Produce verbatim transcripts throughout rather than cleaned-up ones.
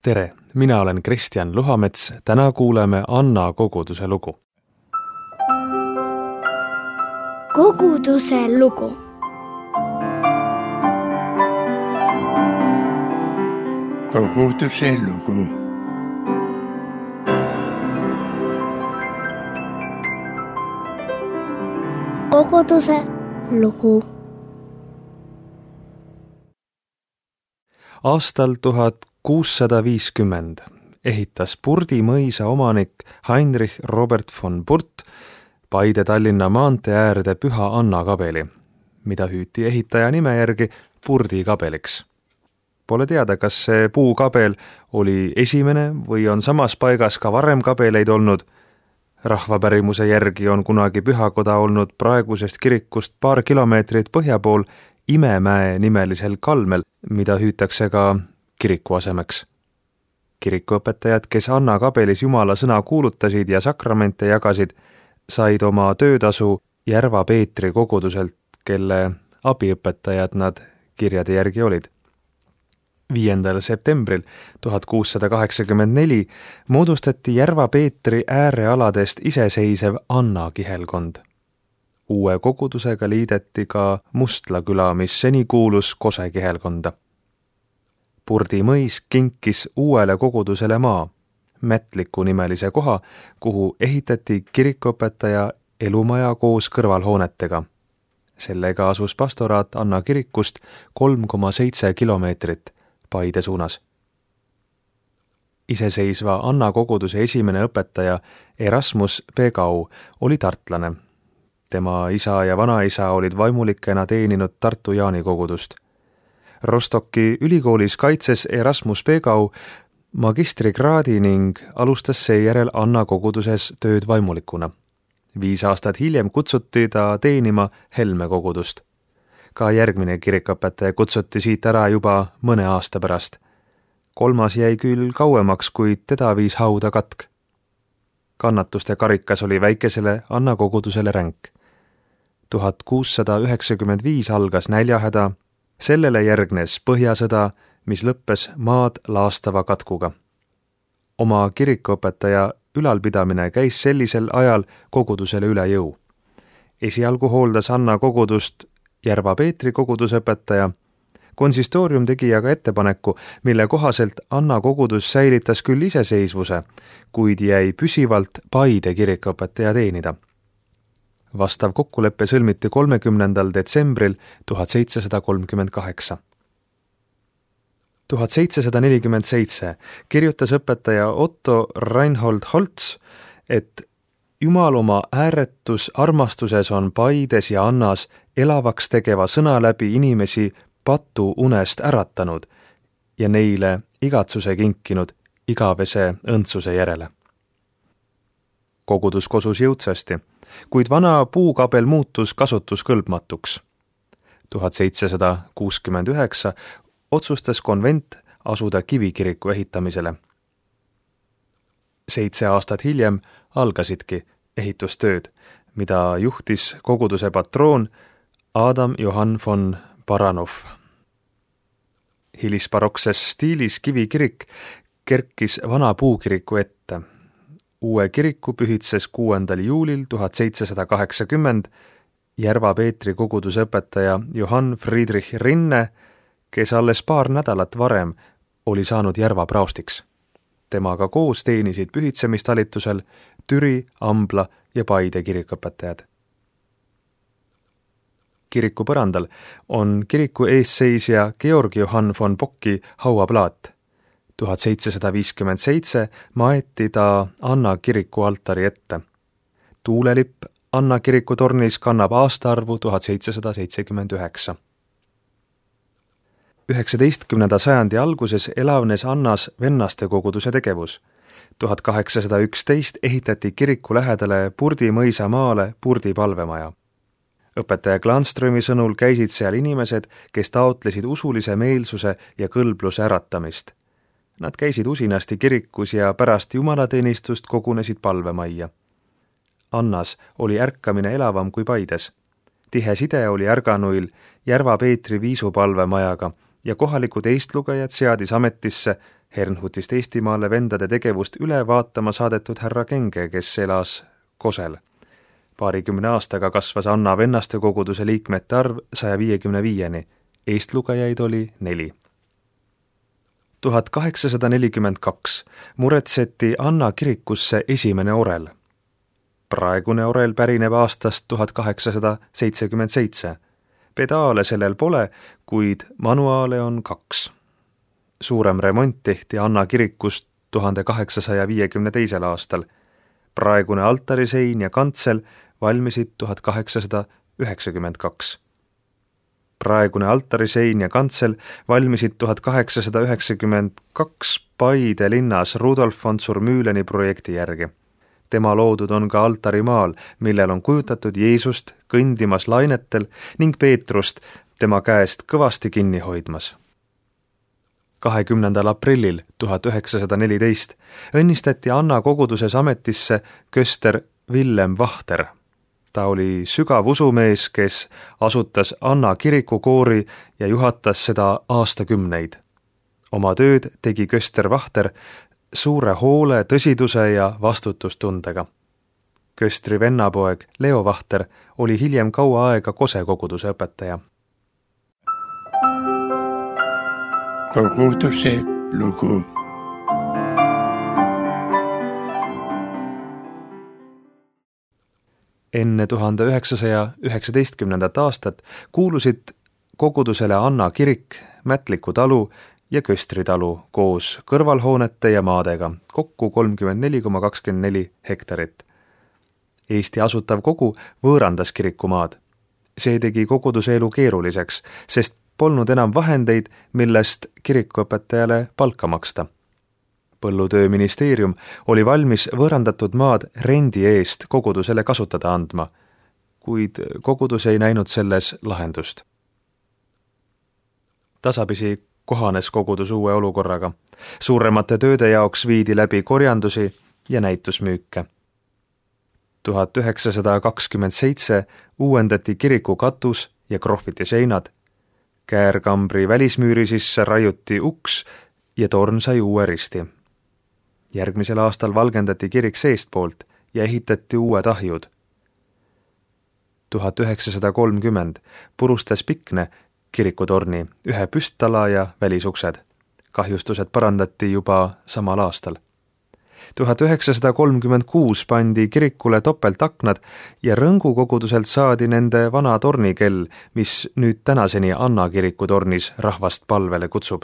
Tere, mina olen Kristjan Luhamets, täna kuuleme Anna koguduse lugu. Koguduse lugu. Koguduse lugu. Koguduse lugu. Aastal tuhat kuussada viiskümmend ehitas Purdi mõisa omanik Heinrich Robert von Purt Paide-Tallinna maantee äärde Püha Anna kabeli, mida hüüti ehitaja nime järgi Purdi kabeliks. Pole teada, kas see puukabel oli esimene või on samas paigas ka varem kabeleid olnud. Rahvapärimuse järgi on kunagi pühakoda olnud praegusest kirikust paar kilomeetrit põhja pool Imemäe nimelisel kalmel, mida hüütakse ka kiriku asemeks. Kirikuõpetajad, kes Anna kabelis Jumala sõna kuulutasid ja sakramente jagasid, said oma töötasu Järva Peetri koguduselt, kelle abiõpetajad nad kirjade järgi olid. viiendal septembril tuhat kuussada kaheksakümmend neli moodustati Järva Peetri äärealadest iseseisev Anna kihelkond. Uue kogudusega liideti ka Mustla küla, mis seni kuulus Kose kihelkonda. Purdi mõis kinkis uuele kogudusele maa, Mätliku nimelise koha, kuhu ehitati kirikuõpetaja elumaja koos kõrvalhoonetega. Sellega asus pastoraat Anna kirikust kolm koma seitse kilomeetrit Paide suunas. Iseseisva Anna koguduse esimene õpetaja Erasmus Pegau oli tartlane. Tema isa ja vanaisa olid vaimulikena teeninud Tartu Jaani kogudust. Rostocki ülikoolis kaitses Erasmus Pegau magistrikraadi ning alustas seejärel Anna koguduses tööd vaimulikuna. Viis aastat hiljem kutsuti ta teenima Helme kogudust. Ka järgmine kirikuõpetaja kutsuti siit ära juba mõne aasta pärast. Kolmas jäi küll kauemaks, kuid teda viis hauda katk. Kannatuste karikas oli väikesele Anna kogudusele ränk. tuhat kuussada üheksakümmend viis algas näljahäda, sellele järgnes põhjasõda, mis lõppes maad laastava katkuga. Oma kirikuõpetaja ülalpidamine käis sellisel ajal kogudusele üle jõu. Esialgu hooldas Anna kogudust Järva Peetri kogudusõpetaja. Konsistoorium tegi aga ettepaneku, mille kohaselt Anna kogudus säilitas küll iseseisvuse, kuid jäi püsivalt Paide kirikuõpetaja teenida. Vastav kokkulepe sõlmiti kolmekümnendal detsembril tuhat seitsesada kolmkümmend kaheksa. tuhat seitsesada nelikümmend seitse kirjutas õpetaja Otto Reinhold Holtz, et Jumal oma ääretus armastuses on Paides ja Annas elavaks tegeva sõna läbi inimesi patu unest äratanud ja neile igatsuse kinkinud igavese õndsuse järele. Kogudus kosus jõudsasti, kuid vana puukabel muutus kasutuskõlbmatuks. tuhat seitsesada kuuskümmend üheksa otsustas konvent asuda kivikiriku ehitamisele. Seitse aastat hiljem algasidki ehitustööd, mida juhtis koguduse patroon Adam Johann von Baranov. Hilisbarokses stiilis kivikirik kerkis vana puukiriku ette. Uue kiriku pühitses kuuendal juulil tuhat seitsesada kaheksakümmend Järva Peetri kogudusõpetaja Johann Friedrich Rinne, kes alles paar nädalat varem oli saanud Järva praostiks. Temaga koos teenisid pühitsemistalitusel Türi, Ambla ja Paide kirikuõpetajad. Kiriku põrandal on kiriku eesseisja Georg Johann von Bocki hauaplaat. tuhat seitsesada viiskümmend seitse maeti ta Anna kiriku altari ette. Tuulelipp Anna kiriku tornis kannab aastaarvu tuhat seitsesada seitsekümmend üheksa. üheksateistkümnenda sajandi alguses elavnes Annas vennaste koguduse tegevus. tuhat kaheksasada üksteist ehitati kiriku lähedale Purdi mõisa maale Purdi palvemaja. Õpetaja Glanströmi sõnul käisid seal inimesed, kes taotlesid usulise meelsuse ja kõlbluse äratamist. Nad käisid usinasti kirikus ja pärast jumalateenistust kogunesid palvemajja. Annas oli ärkamine elavam kui Paides. Tihe side oli ärganuil Järva Peetri viisupalvemajaga ja kohalikud eestlugejad seadis ametisse Hernhutist Eestimaale vendade tegevust üle vaatama saadetud härra Kenge, kes elas Kosel. Paarikümne aastaga kasvas Anna vennaste koguduse liikmete arv saja viiekümne viieni, eestlugejaid oli neli. tuhat kaheksasada nelikümmend kaks muretseti Anna kirikusse esimene orel. Praegune orel pärineb aastast tuhat kaheksasada seitsekümmend seitse. Pedaale sellel pole, kuid manuaale on kaks. Suurem remont tehti Anna kirikust tuhande kaheksasaja viiekümne teisel aastal. Praegune altarisein ja kantsel valmisid tuhat kaheksasada üheksakümmend kaks. Praegune altarisein ja kantsel valmisid tuhat kaheksasada üheksakümmend kaks Paide linnas Rudolf von Zurmühleni projekti järgi. Tema loodud on ka altarimaal, millel on kujutatud Jeesust kõndimas lainetel ning Peetrust tema käest kõvasti kinni hoidmas. kahekümnendal aprillil tuhat üheksasada neliteist õnnistati Anna koguduses ametisse köster Villem Vahter. Ta oli sügav usumees, kes asutas Anna kirikukoori ja juhatas seda aastakümneid. Oma tööd tegi köster Vahter suure hoole, tõsiduse ja vastutustundega. Köstri vennapoeg Leo Vahter oli hiljem kaua aega Kose koguduse õpetaja. Koguduse lugu. Enne tuhande üheksasaja üheksateistkümnendat aastat kuulusid kogudusele Anna kirik, Mätliku talu ja Köstri talu koos kõrvalhoonete ja maadega, kokku kolmkümmend neli koma kakskümmend neli hektarit. Eesti asutav kogu võõrandas kirikumaad. See tegi koguduse elu keeruliseks, sest polnud enam vahendeid, millest kirikuõpetajale palka maksta. Põllutööministeerium oli valmis võõrandatud maad rendi eest kogudusele kasutada andma, kuid kogudus ei näinud selles lahendust. Tasapisi kohanes kogudus uue olukorraga. Suuremate tööde jaoks viidi läbi korjandusi ja näitusmüüke. tuhat üheksasada kakskümmend seitse uuendati kiriku katus ja krohviti seinad. Käärkambri välismüüri sisse raiuti uks ja torn sai uue risti. Järgmisel aastal valgendati kirik seestpoolt ja ehitati uued ahjud. tuhat üheksasada kolmkümmend purustas Pikne kirikutorni, ühe püsttala ja välisuksed. Kahjustused parandati juba samal aastal. tuhat üheksasada kolmkümmend kuus pandi kirikule topeltaknad ja Rõngu koguduselt saadi nende vana tornikell, mis nüüd tänaseni Anna kiriku tornis rahvast palvele kutsub.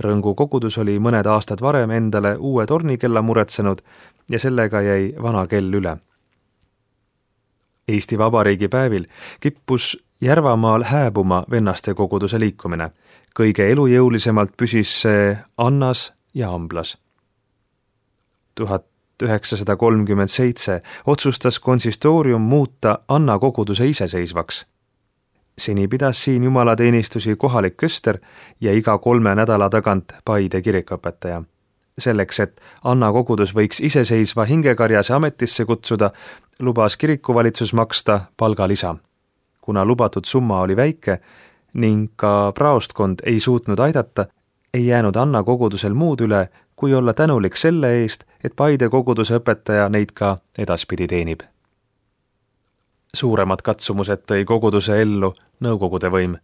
Rõngu kogudus oli mõned aastad varem endale uue tornikella muretsenud ja sellega jäi vana kell üle. Eesti Vabariigi päevil kippus Järvamaal hääbuma vennaste koguduse liikumine. Kõige elujõulisemalt püsis see Annas ja Amblas. tuhat üheksasada kolmkümmend seitse otsustas konsistoorium muuta Anna koguduse iseseisvaks. Seni pidas siin jumalateenistusi kohalik köster ja iga kolme nädala tagant Paide kirikuõpetaja. Selleks, et Anna kogudus võiks iseseisva hingekarjase ametisse kutsuda, lubas kirikuvalitsus maksta palgalisa. Kuna lubatud summa oli väike ning ka praostkond ei suutnud aidata, ei jäänud Anna kogudusel muud üle, kui olla tänulik selle eest, et Paide koguduse õpetaja neid ka edaspidi teenib. Suuremad katsumused tõi koguduse ellu nõukogude võim.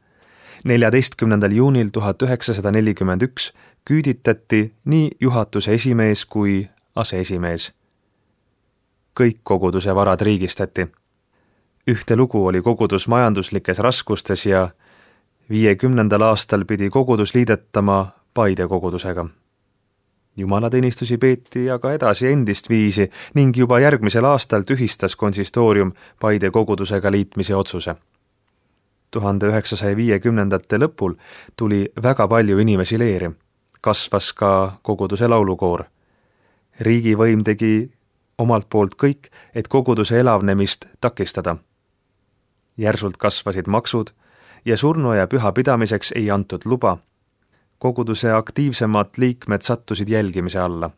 neljateistkümnendal juunil tuhat üheksasada nelikümmend üks küüditati nii juhatuse esimees kui aseesimees. Kõik koguduse varad riigistati. Ühte lugu oli kogudus majanduslikes raskustes ja viiekümnendal aastal pidi kogudus liidetama Paide kogudusega. Jumalateenistusi peeti aga edasi endist viisi ning juba järgmisel aastal tühistas konsistoorium Paide kogudusega liitmise otsuse. tuhande üheksasaja viiekümnendate lõpul tuli väga palju inimesi leeri. Kasvas ka koguduse laulukoor. Riigivõim tegi omalt poolt kõik, et koguduse elavnemist takistada. Järsult kasvasid maksud ja surnuaia püha pidamiseks ei antud luba. Koguduse aktiivsemad liikmed sattusid jälgimise alla.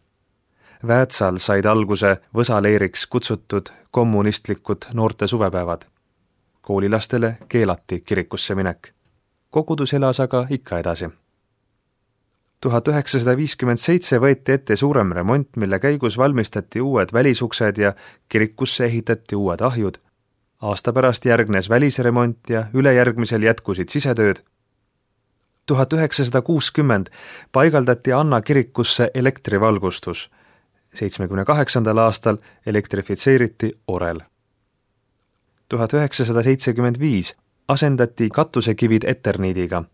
Väätsal said alguse võsaleeriks kutsutud kommunistlikud noorte suvepäevad. Koolilastele keelati kirikusse minek. kogudus elas aga ikka edasi. tuhat üheksasada viiskümmend seitse võeti ette suurem remont, mille käigus valmistati uued välisuksed ja kirikusse ehitati uued ahjud. Aasta pärast järgnes välisremont ja ülejärgmisel jätkusid sisetööd. tuhat üheksasada kuuskümmend paigaldati Anna kirikusse elektrivalgustus. seitsmekümne kaheksandal aastal elektrifitseeriti orel. tuhat üheksasada seitsekümmend viis asendati katusekivid eterniidiga.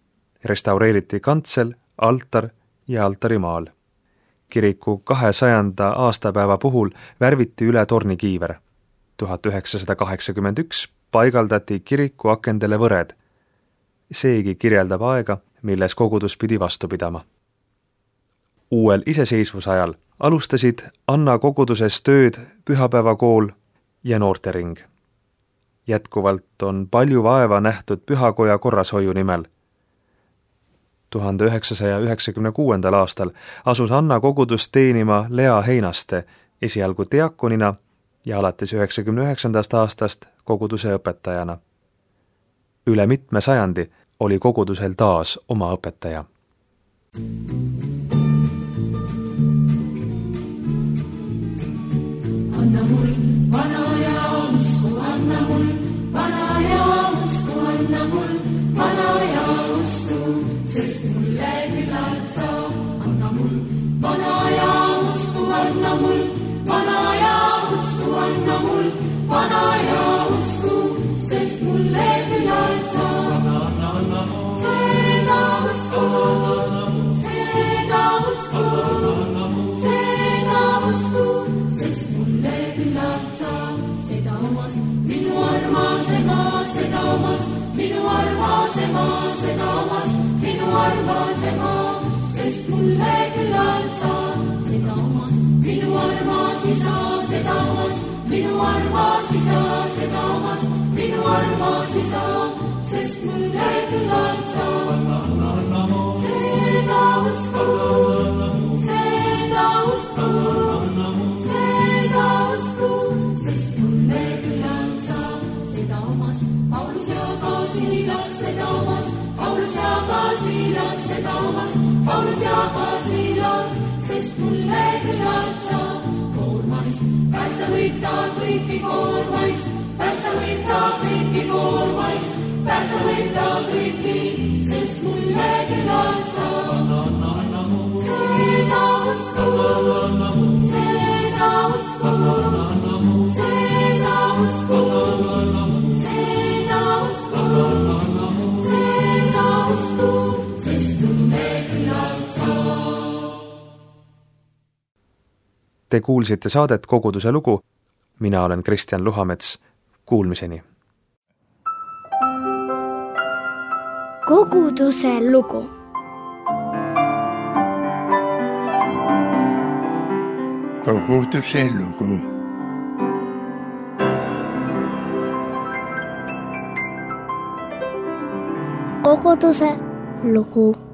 Restaureeriti kantsel, altar ja altarimaal. Kiriku kahesajanda aastapäeva puhul värviti üle tornikiiver. tuhat üheksasada kaheksakümmend üks paigaldati kiriku akendele võred. Seegi kirjeldab aega, milles kogudus pidi vastu pidama. Uuel iseseisvusajal alustasid Anna koguduses tööd pühapäevakool ja noortering. Jätkuvalt on palju vaeva nähtud pühakoja korrashoiu nimel. tuhande üheksasaja üheksakümne kuuendal aastal asus Anna kogudus teenima Lea Heinaste esialgu diakonina ja alates üheksakümne üheksandast aastast koguduse õpetajana. Üle mitme sajandi oli kogudusel taas oma õpetaja. Anna mul vana ja usku, anna mul vana ja usku, anna mul vana ja usku, sest mulle küllalt saab. Anna mul vana ja usku, anna mul vana ja usku, anna mul vana ja usku, sest mulle küllalt saab. Seda usku, seda usku, seda usku, sest mulle küllalt saab. Seda omas minu armas ema, seda omas minu armas ema, seda omas minu armas ema, sest mulle küllalt saab. Seda omas minu armas isa, seda omas minu armas isa, seda omas minu armas isa, sest mulle küllalt saab. Seda usku, seda usku, seda usku, sest mulle küllalt saab. Seda omas Paulus ja ka Siilas, seda omas Paulus ja ka Siilas, seda omas Paulus ja ka Siilas, sest mulle küllalt saab. Koormais päästa võib ta kõiki koormais, päästa võib ta kõiki koormais, päästa võib ta kõiki, sest mulle küllalt saab. Seda usku, seda usku, seda usku, seda usku, seda usku, sest mulle küllalt saab. Te kuulsite saadet Koguduse lugu. Mina olen Kristjan Luhamets. Kuulmiseni. Koguduse lugu. Koguduse lugu. Koguduse lugu.